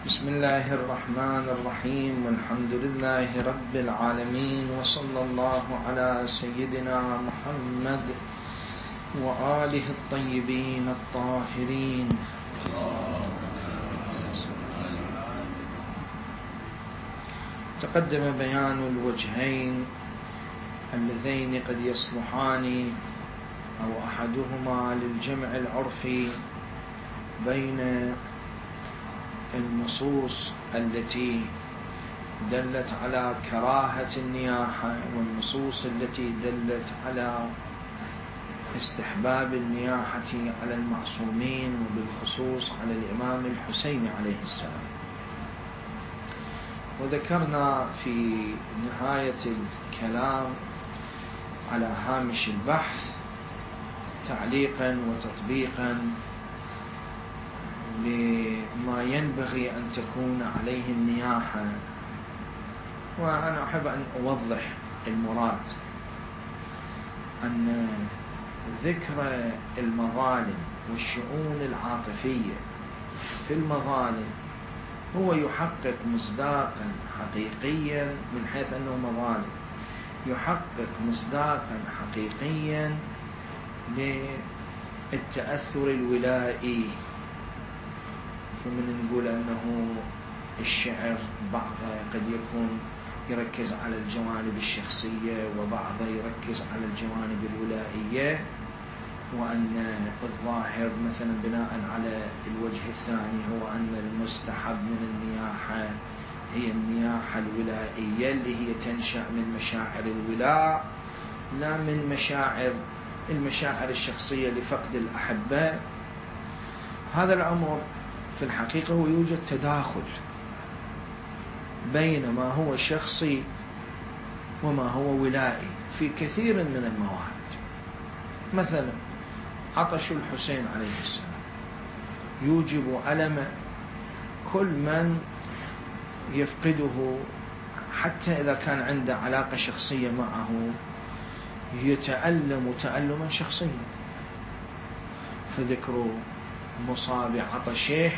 بسم الله الرحمن الرحيم، والحمد لله رب العالمين، وصلى الله على سيدنا محمد وآله الطيبين الطاهرين. تقدم بيان الوجهين اللذين قد يصلحان أو أحدهما للجمع العرفي بين النصوص التي دلت على كراهة النياحة والنصوص التي دلت على استحباب النياحة على المعصومين، وبالخصوص على الإمام الحسين عليه السلام. وذكرنا في نهاية الكلام على هامش البحث تعليقا وتطبيقا لما ينبغي أن تكون عليه النياحة، وأنا أحب أن أوضح المراد. أن ذكر المظالم والشؤون العاطفية في المظالم هو يحقق مصداقا حقيقيا من حيث أنه مظالم، يحقق مصداقا حقيقيا للتأثر الولائي. فمن نقول أنه الشعر بعضه قد يكون يركز على الجوانب الشخصية وبعضه يركز على الجوانب الولائية، وأن الظاهر مثلا بناء على الوجه الثاني هو أن المستحب من النياحة هي النياحة الولائية اللي هي تنشأ من مشاعر الولاء لا من المشاعر الشخصية لفقد الأحبة. هذا الأمر في الحقيقة هو يوجد تداخل بين ما هو شخصي وما هو ولائي في كثير من الموارد. مثلا عطش الحسين عليه السلام يوجب ألم كل من يفقده، حتى إذا كان عنده علاقة شخصية معه يتألم تألما شخصيا. فذكر مصاب عطشه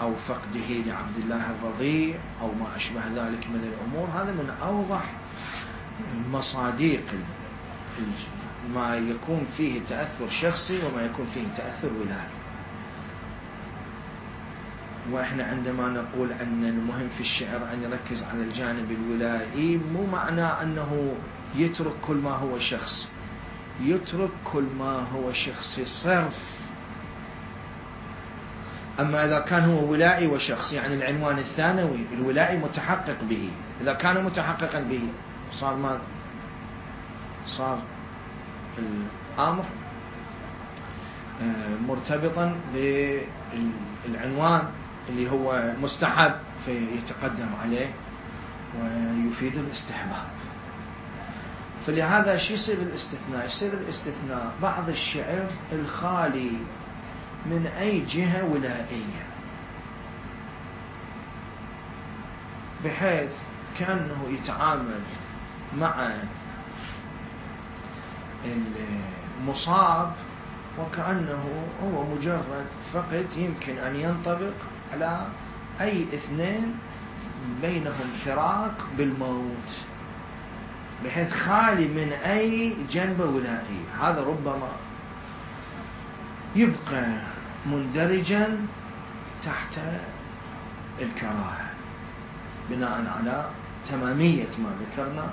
أو فقده لعبد الله الرضيع أو ما أشبه ذلك من الأمور، هذا من أوضح مصاديق ما يكون فيه تأثر شخصي وما يكون فيه تأثر ولائي. وإحنا عندما نقول أن المهم في الشعر أن يركز على الجانب الولائي، مو معنى أنه يترك كل ما هو شخص، يترك كل ما هو شخصي صرف. أما إذا كان هو ولائي وشخص، يعني العنوان الثانوي الولائي متحقق به، إذا كان متحققا به صار ما صار الأمر مرتبطا بالعنوان اللي هو مستحب فيتقدم عليه ويفيد الاستحباب. فلهذا شو يصير الاستثناء؟ يصير الاستثناء بعض الشعر الخالي من أي جهة ولائية، بحيث كأنه يتعامل مع المصاب وكأنه هو مجرد فقد يمكن أن ينطبق على أي اثنين بينهم فراق بالموت، بحيث خالي من أي جنبة ولائية. هذا ربما يبقى مندرجا تحت الكراهة بناء على تمامية ما ذكرنا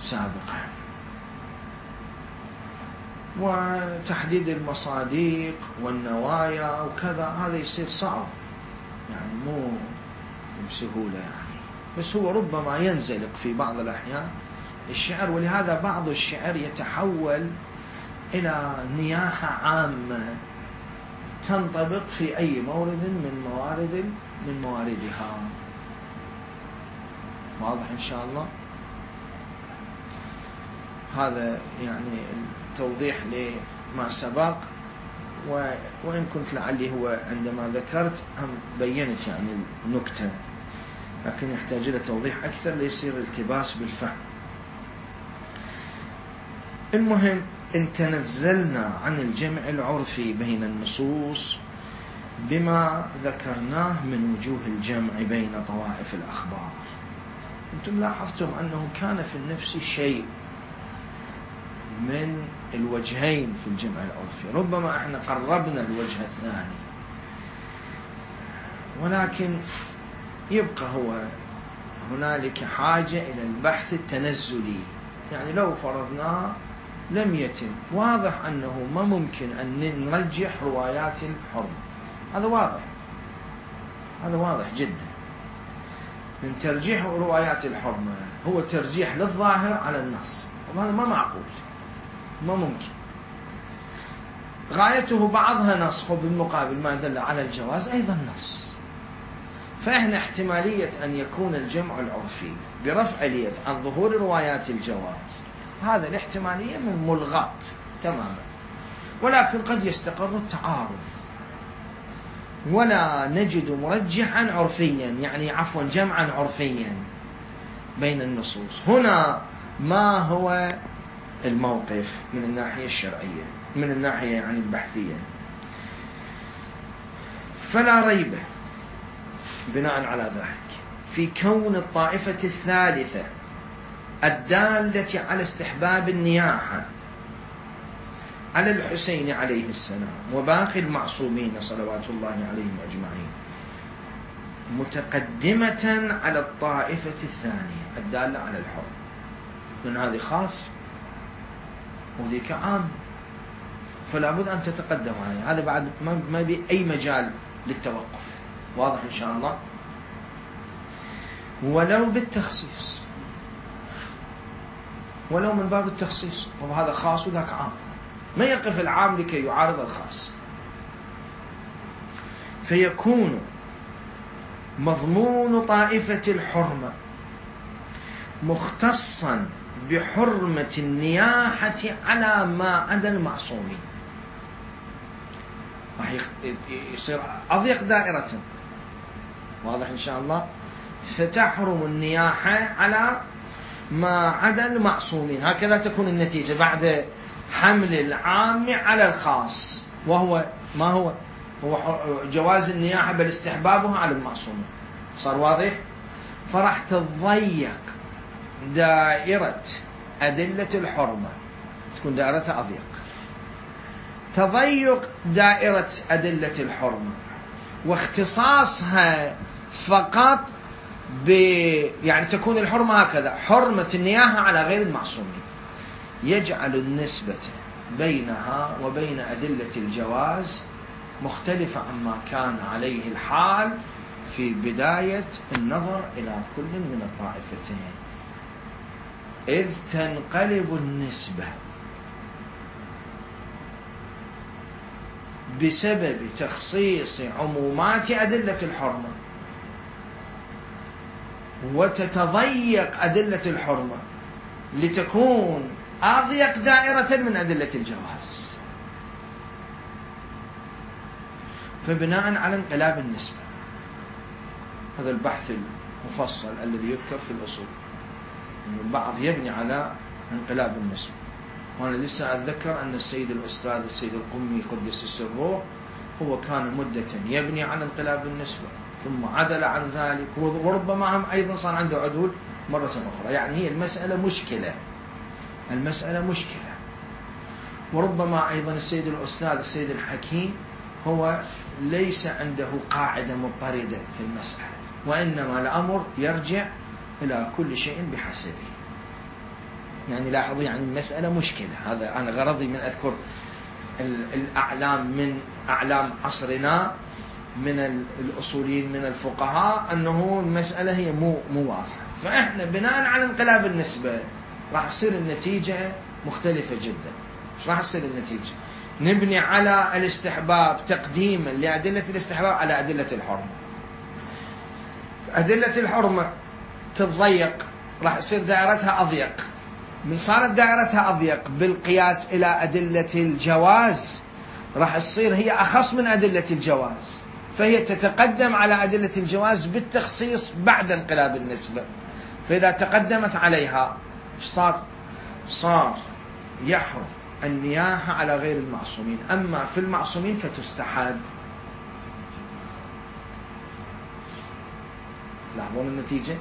سابقا. وتحديد المصادق والنوايا وكذا هذا يصير صعب، يعني مو بسهولة يعني، بس هو ربما ينزلق في بعض الأحيان الشعر. ولهذا بعض الشعر يتحول إلى نياحة عامة تنطبق في أي مورد من مواردها. واضح إن شاء الله؟ هذا يعني توضيح لما سبق، وإن كنت لعلي هو عندما ذكرت هم بينت يعني النكتة، لكن يحتاج إلى توضيح أكثر ليصير التباس بالفهم. المهم إن تنزلنا عن الجمع العرفي بين النصوص بما ذكرناه من وجوه الجمع بين طوائف الأخبار. أنتم لاحظتم أنه كان في النفس شيء من الوجهين في الجمع العرفي، ربما احنا قربنا الوجه الثاني، ولكن يبقى هنالك حاجة إلى البحث التنزلي. يعني لو فرضنا لم يتم، واضح أنه ما ممكن أن نرجح روايات الحرمة، هذا واضح جدا. من ترجيح روايات الحرمة هو ترجيح للظاهر على النص، وهذا ما معقول، ما ممكن. غايته بعضها نص، وبالمقابل ما دل على الجواز أيضا نص. فإحنا احتمالية أن يكون الجمع العرفي برفع اليد عن ظهور روايات الجواز، هذا الاحتمالية من ملغاة تماما، ولكن قد يستقر التعارض ولا نجد مرجحا عرفيا، يعني عفوا جمعا عرفيا بين النصوص. هنا ما هو الموقف من الناحية الشرعية، من الناحية يعني البحثية؟ فلا ريب بناء على ذلك في كون الطائفة الثالثة الدالة على استحباب النياحة على الحسين عليه السلام وباقي المعصومين صلوات الله عليهم أجمعين متقدمة على الطائفة الثانية الدالة على الحر، من هذه خاص وذيك عام، فلا بد أن تتقدم عليه. هذا بعد ما بأي مجال للتوقف، واضح إن شاء الله. ولو بالتخصيص، ولو من باب التخصيص، وهذا خاص وذاك عام، ما يقف العام لكي يعارض الخاص، فيكون مضمون طائفة الحرمة مختصا بحرمة النياحة على ما عدا المعصومين. راح يصير أضيق دائرة، واضح إن شاء الله. فتحرم النياحة على ما عدا المعصومين، هكذا تكون النتيجة بعد حمل العام على الخاص، وهو ما هو جواز النياحة بل استحبابها على المعصومين. صار واضح؟ فراح تضيق دائرة أدلة الحرمة، تكون دائرتها أضيق. تضيق دائرة أدلة الحرمة واختصاصها فقط يعني تكون الحرمة هكذا، حرمة النياحة على غير المعصومين، يجعل النسبة بينها وبين أدلة الجواز مختلفة عما كان عليه الحال في بداية النظر إلى كل من الطائفتين، إذ تنقلب النسبة بسبب تخصيص عمومات أدلة الحرمة، وتتضيق أدلة الحرمة لتكون أضيق دائرة من أدلة الجواز. فبناء على انقلاب النسبة، هذا البحث المفصل الذي يذكر في الأصول، البعض يبني على انقلاب النسبة. وأنا لسه أتذكر أن السيد الأستاذ السيد القمي قدس السر هو كان مدة يبني على انقلاب النسبة ثم عدل عن ذلك، وربما أيضا صار عنده عدول مرة أخرى. يعني هي المسألة مشكلة. وربما أيضا السيد الأستاذ السيد الحكيم هو ليس عنده قاعدة مضطردة في المسألة، وإنما الأمر يرجع إلى كل شيء بحسبه. يعني لاحظوا، يعني المسألة مشكلة. هذا أنا غرضي من أذكر الأعلام من أعلام عصرنا من الأصوليين من الفقهاء أنه المسألة هي مو واضحة. فإحنا بناء على انقلاب النسبة راح تصير النتيجة مختلفة جدا. إيش راح تصير النتيجة؟ نبني على الاستحباب تقديما لأدلة الاستحباب على أدلة الحرمة. أدلة الحرمة تتضيق، راح تصير دائرتها أضيق. من صارت دائرتها أضيق بالقياس إلى أدلة الجواز، راح تصير هي أخص من أدلة الجواز، فهي تتقدم على أدلة الجواز بالتخصيص بعد انقلاب النسبة. فإذا تقدمت عليها صار يحرم النياحة على غير المعصومين، أما في المعصومين فتستحب. لاحظون النتيجة؟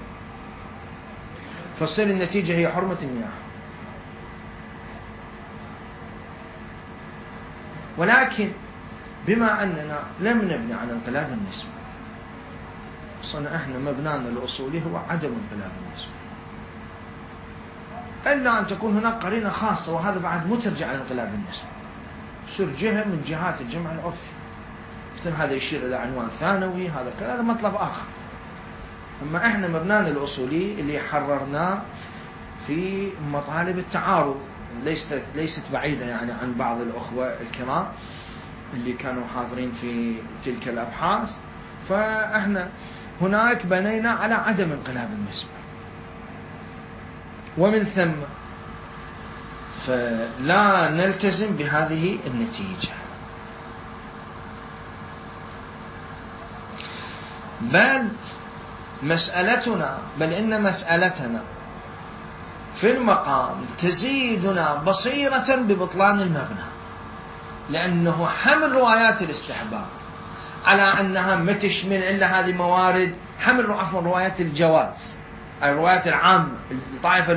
فصل النتيجة هي حرمة المياه. ولكن بما أننا لم نبني على انقلاب النسبة، صنع احنا مبنانا الأصولي هو عدم انقلاب النسبة، إلا أن تكون هناك قرينة خاصة، وهذا بعد مو ترجع على انقلاب النسبة، يصير جهة من جهات الجمع العرفي، مثل هذا يشير إلى عنوان ثانوي، هذا كذا، هذا مطلب آخر. أما احنا مبنانا الأصولي اللي حررناه في مطالب التعارض، ليست بعيدة يعني عن بعض الأخوة الكرام اللي كانوا حاضرين في تلك الأبحاث. فاحنا هناك بنينا على عدم انقلاب النسبة، ومن ثم فلا نلتزم بهذه النتيجة، بل إن مسألتنا في المقام تزيدنا بصيرة ببطلان المبنى، لأنه حمل روايات الاستحباب على أنها ما تشمل إلا هذه موارد، حمل روايات الجواز، الروايات العامة، الطائفة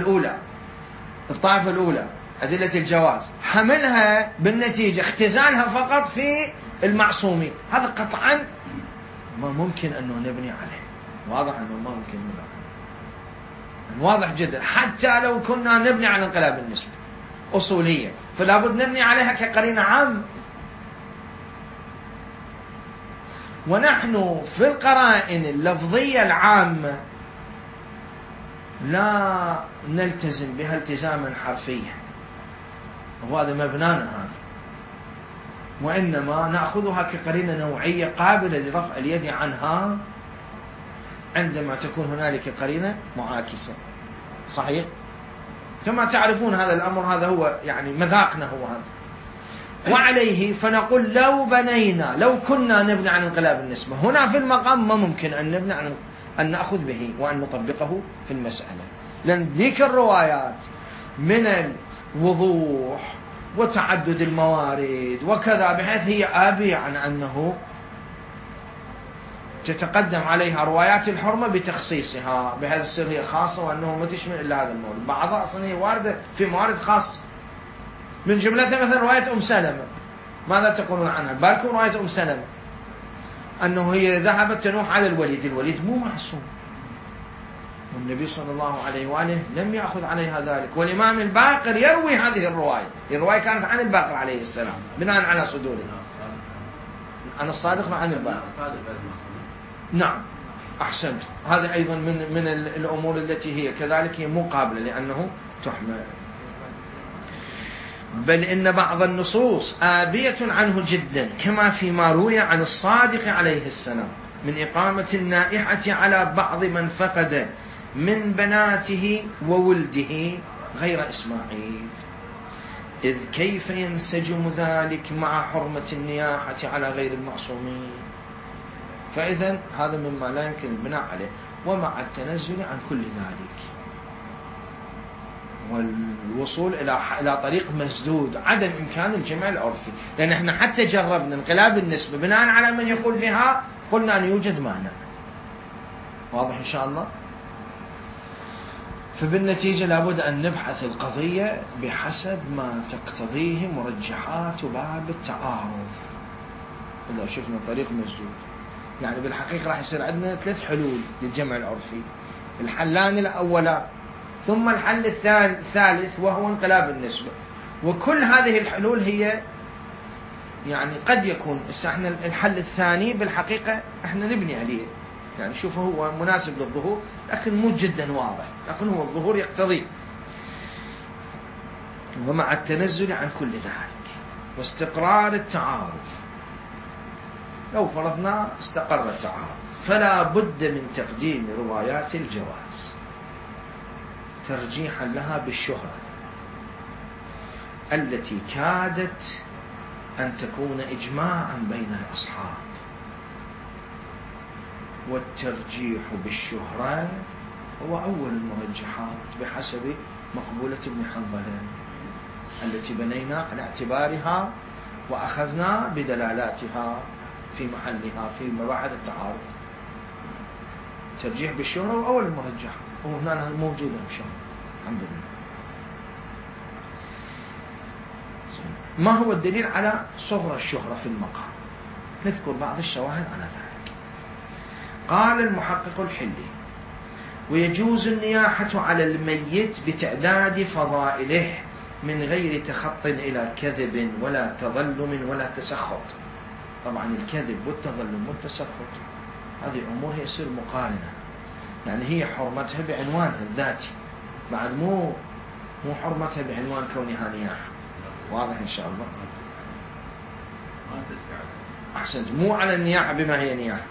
الأولى أدلة الجواز، حملها بالنتيجة اختزالها فقط في المعصومين، هذا قطعا ما ممكن أنه نبني عليه، واضح أنه ما ممكن نبني عليه، واضح جدا. حتى لو كنا نبني على انقلاب النسبة أصولية، فلا بد نبني عليها كقرينة عامة. ونحن في القرائن اللفظية العامة لا نلتزم بها التزاما حرفيا، وهذا مبنانا هذا، وإنما نأخذها كقرينة نوعية قابلة لرفع اليد عنها عندما تكون هنالك قرينة معاكسة. صحيح؟ كما تعرفون هذا الأمر، هذا هو يعني مذاقنا هو هذا. وعليه فنقول لو كنا نبني عن انقلاب النسبة هنا في المقام، ما ممكن أن نبني أن نأخذ به وأن نطبقه في المسألة، لأن ذيك الروايات من الوضوح وتعدد الموارد وكذا، بحيث هي آبية عن أنه تتقدم عليها روايات الحرمة بتخصيصها، بحيث تصير هي خاصة وأنه ما تشمل إلا هذا المورد. بعضها أصلا هي واردة في موارد خاصة، من جملتها مثلا رواية أم سلمة، ماذا تقولون عنها؟ بالكم رواية أم سلمة أنه هي ذهبت تنوح على الوليد مو معصوم، والنبي صلى الله عليه وآله لم يأخذ عليها ذلك، والإمام الباقر يروي هذه الرواية كانت عن الباقر عليه السلام بناء على صدوره، عن الصادق عن الباقر. نعم أحسنت، هذا أيضا من الأمور التي هي كذلك هي مقابلة لأنه تحمل. بل إن بعض النصوص آبية عنه جدا، كما فيما روي عن الصادق عليه السلام من إقامة النائحة على بعض من فقد من بناته وولده غير إسماعيل، إذ كيف ينسجم ذلك مع حرمة النياحة على غير المعصومين؟ فإذن هذا مما لا يمكن البناء عليه، ومع التنزل عن كل ذلك والوصول إلى طريق مسدود، عدم إمكان الجمع العرفي، لأن احنا حتى جربنا انقلاب النسبة بناء على من يقول بها، قلنا أن يوجد مانع. واضح إن شاء الله؟ فبالنتيجة لابد أن نبحث القضية بحسب ما تقتضيه مرجحات باب التعارض. إذا شفنا طريق مسدود، يعني بالحقيقة راح يصير عندنا 3 حلول للجمع العرفي، الحلان الأولان ثم الحل الثالث وهو انقلاب النسبة. وكل هذه الحلول هي يعني قد يكون احنا الحل الثاني بالحقيقة احنا نبني عليه، يعني شوفه هو مناسب للظهور لكن مو جدا واضح، لكن هو الظهور يقتضي. ومع التنزل عن كل ذلك واستقرار التعارض، لو فرضنا استقر التعارض فلا بد من تقديم روايات الجواز ترجيحا لها بالشهرة التي كادت أن تكون إجماعا بين الأصحاب، والترجيح بالشهرة هو أول المرجحات بحسب مقبولة ابن حنظلة التي بنينا على اعتبارها وأخذنا بدلالاتها في محلها في مباحث التعارض. الترجيح بالشهرة وأول المرجح، وهنا موجودة إن شاء الله الحمد لله. ما هو الدليل على صغر الشهرة في المقام؟ نذكر بعض الشواهد على ذلك. قال المحقق الحلي: ويجوز النياحة على الميت بتعداد فضائله من غير تخط إلى كذب ولا تظلم ولا تسخط. طبعا الكذب والتظلم والتسخط هذه أمور يصير مقارنة، يعني هي حرمتها بعنوانها الذاتي، بعد مو حرمتها بعنوان كونها نياحة. واضح إن شاء الله؟ أحسنت، مو على النياحة بما هي نياحة.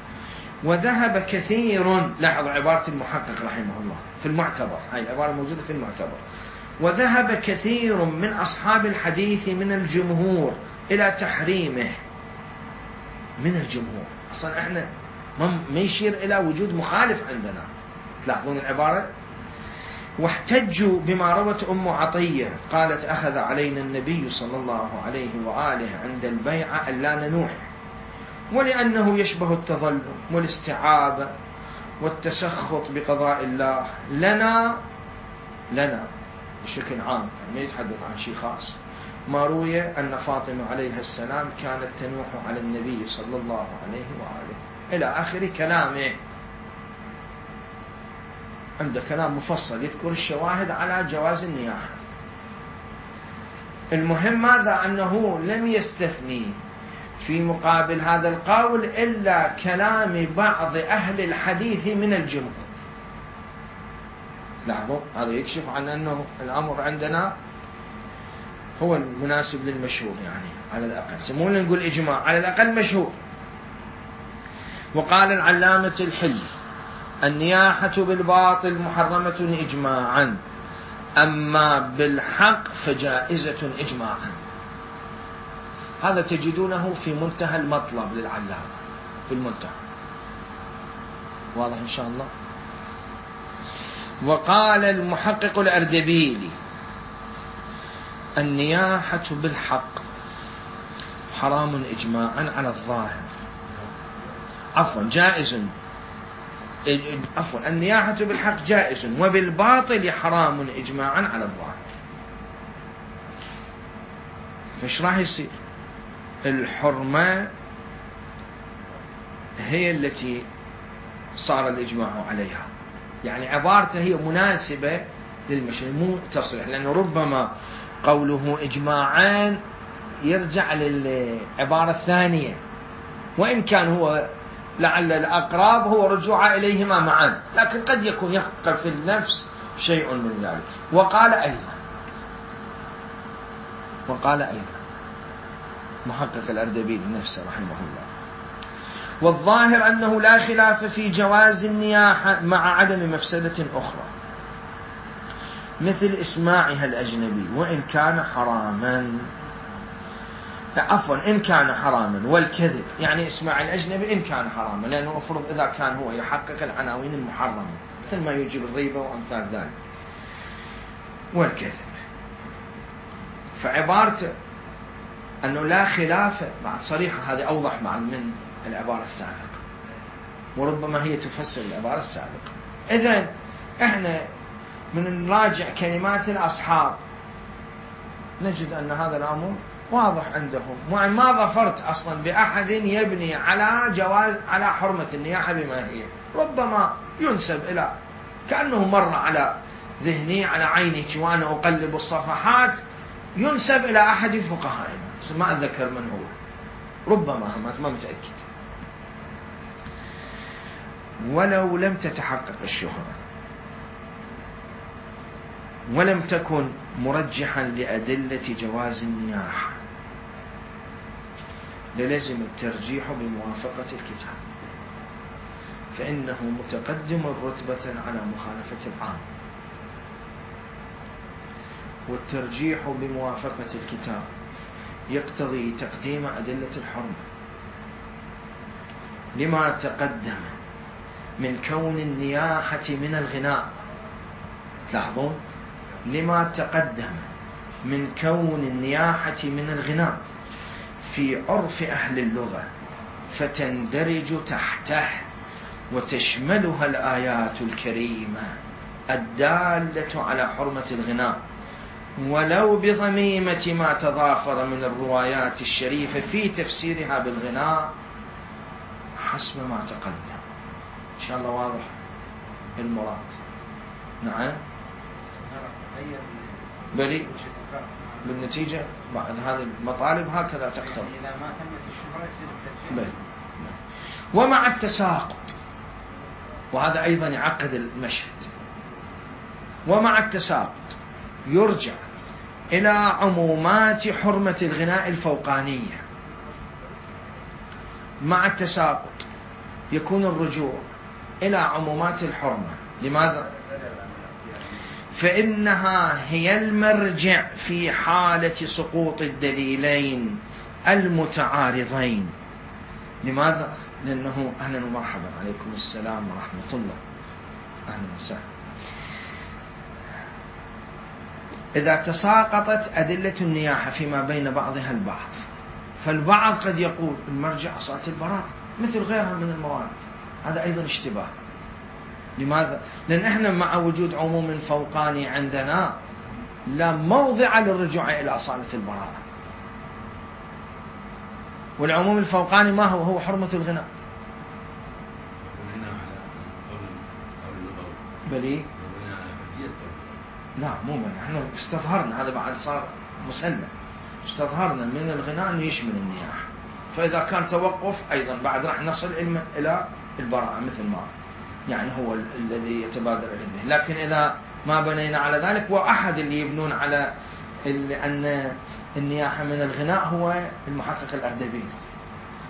وذهب كثير، لاحظ عبارة المحقق رحمه الله في المعتبر، هاي عبارة موجودة في المعتبر: وذهب كثير من أصحاب الحديث من الجمهور إلى تحريمه. من الجمهور، أصلا احنا ما يشير إلى وجود مخالف عندنا، تلاحظون العبارة. واحتجوا بما روت أم عطية قالت: أخذ علينا النبي صلى الله عليه وآله عند البيعة ألا ننوح، ولأنه يشبه التظلم والاستعابة والتسخط بقضاء الله لنا بشكل عام، ما يتحدث عن شيء خاص. ما روي أن فاطمة عليها السلام كانت تنوح على النبي صلى الله عليه وآله إلى آخر كلامه. عنده كلام مفصل يذكر الشواهد على جواز النياحة. المهم ماذا؟ أنه لم يستثني في مقابل هذا القول إلا كلام بعض أهل الحديث من الجمهور. لاحظوا، هذا يكشف عن أنه الأمر عندنا هو المناسب للمشهور، يعني على الأقل سمونا نقول إجماع، على الأقل مشهور. وقال العلامة الحلي: النياحة بالباطل محرمة إجماعا، أما بالحق فجائزة إجماعا. هذا تجدونه في منتهى المطلب للعلامة، في المنتهى. واضح إن شاء الله. وقال المحقق الأردبيلي: النياحة بالحق حرام إجماعا على الظاهر، النياحة بالحق جائز، وبالباطل حرام إجماعا على الظاهر. فايش راح يصير؟ الحرمة هي التي صار الإجماع عليها، يعني عبارته هي مناسبة للمشروع، مو تصريح، لأنه ربما قوله إجماعان يرجع للعبارة الثانية، وإن كان هو لعل الأقرب هو رجوع إليهما معا، لكن قد يكون يحقق في النفس شيء من ذلك. وقال أيضا محقق الأردبيلي نفسه رحمه الله: والظاهر أنه لا خلاف في جواز النياحة مع عدم مفسدة أخرى، مثل إسماعها الأجنبي وإن كان حراما. إن كان حراما، والكذب، يعني إسماع الأجنبي إن كان حراما، لأنه أفرض إذا كان هو يحقق العناوين المحرمة مثل ما يجب الريبة وأمثال ذلك، والكذب. فعبارته أنه لا خلاف بعد صريحة، هذه أوضح من العبارة السابقة، وربما هي تفسر العبارة السابقة. إذن إحنا من نراجع كلمات الأصحاب نجد أن هذا الأمر واضح عندهم، ما ظفرت أصلا بأحد يبني على حرمة النياحة بما هي. ربما ينسب إلى كأنه مر على ذهني على عيني وأنا أقلب الصفحات، ينسب إلى أحد فقهائنا ما أتذكر من هو، ربما ما متأكد. ولو لم تتحقق الشهرة ولم تكن مرجحا لأدلة جواز النياحة للزم الترجيح بموافقة الكتاب، فإنه متقدم رتبة على مخالفة العام. والترجيح بموافقة الكتاب يقتضي تقديم أدلة الحرمة لما تقدم من كون النياحة من الغناء. تلاحظون، لما تقدم من كون النياحة من الغناء في عرف أهل اللغة فتندرج تحته وتشملها الآيات الكريمة الدالة على حرمة الغناء ولو بضميمة ما تضافر من الروايات الشريفة في تفسيرها بالغناء حسب ما تقدم. إن شاء الله واضح المراد. نعم بلي بالنتيجة بعد هذه المطالب هكذا تقتضي. إذا ما تمت الشهرة بلي. ومع التساقط، وهذا أيضا يعقد المشهد، ومع التساقط يرجع إلى عمومات حرمة الغناء الفوقانية. مع التساقط يكون الرجوع إلى عمومات الحرمة. لماذا؟ فإنها هي المرجع في حالة سقوط الدليلين المتعارضين. لماذا؟ لأنه أهلا ومرحبا، عليكم السلام ورحمة الله، أهلا وسهلا. إذا تساقطت أدلة النياحة فيما بين بعضها البعض، فالبعض قد يقول المرجع أصالة البراءة مثل غيرها من الموارد، هذا أيضا اشتباه. لماذا؟ لأن احنا مع وجود عموم فوقاني عندنا لا موضع للرجوع إلى أصالة البراءة. والعموم الفوقاني ما هو؟ هو حرمة الغناء. بلي لا مو من احنا استظهرنا، هذا بعد صار مسلم، استظهرنا من الغناء انه يشمل النياحة. فإذا كان توقف أيضا بعد راح نصل إلى البراءة مثل ما يعني هو الذي يتبادر إليه. لكن إذا ما بنينا على ذلك، وأحد اللي يبنون على أن النياحة من الغناء هو المحقق الأردبيلي.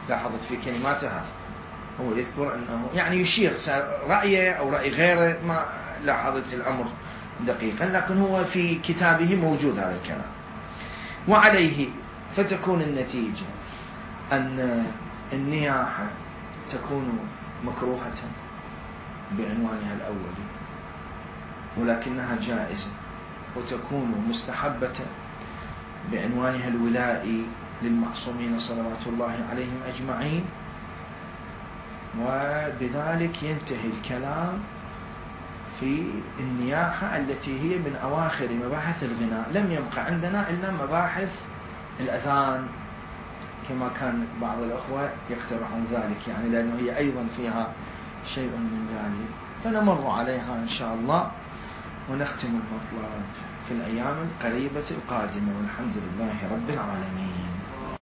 لاحظت في كلماته هذا هو يذكر أنه يعني يشير رأيه أو رأي غيره، ما لاحظت الأمر دقيقا، لكن هو في كتابه موجود هذا الكلام. وعليه فتكون النتيجة أن النياحة تكون مكروهة بعنوانها الأولي، ولكنها جائزة، وتكون مستحبة بعنوانها الولائي للمعصومين صلوات الله عليهم أجمعين. وبذلك ينتهي الكلام في النياحة التي هي من أواخر مباحث الغناء. لم يبقى عندنا إلا مباحث الأذان كما كان بعض الأخوة يقترحون ذلك، يعني لأنه هي أيضا فيها شيء من ذلك، فنمر عليها إن شاء الله ونختم المطلب في الأيام القريبة القادمة، والحمد لله رب العالمين.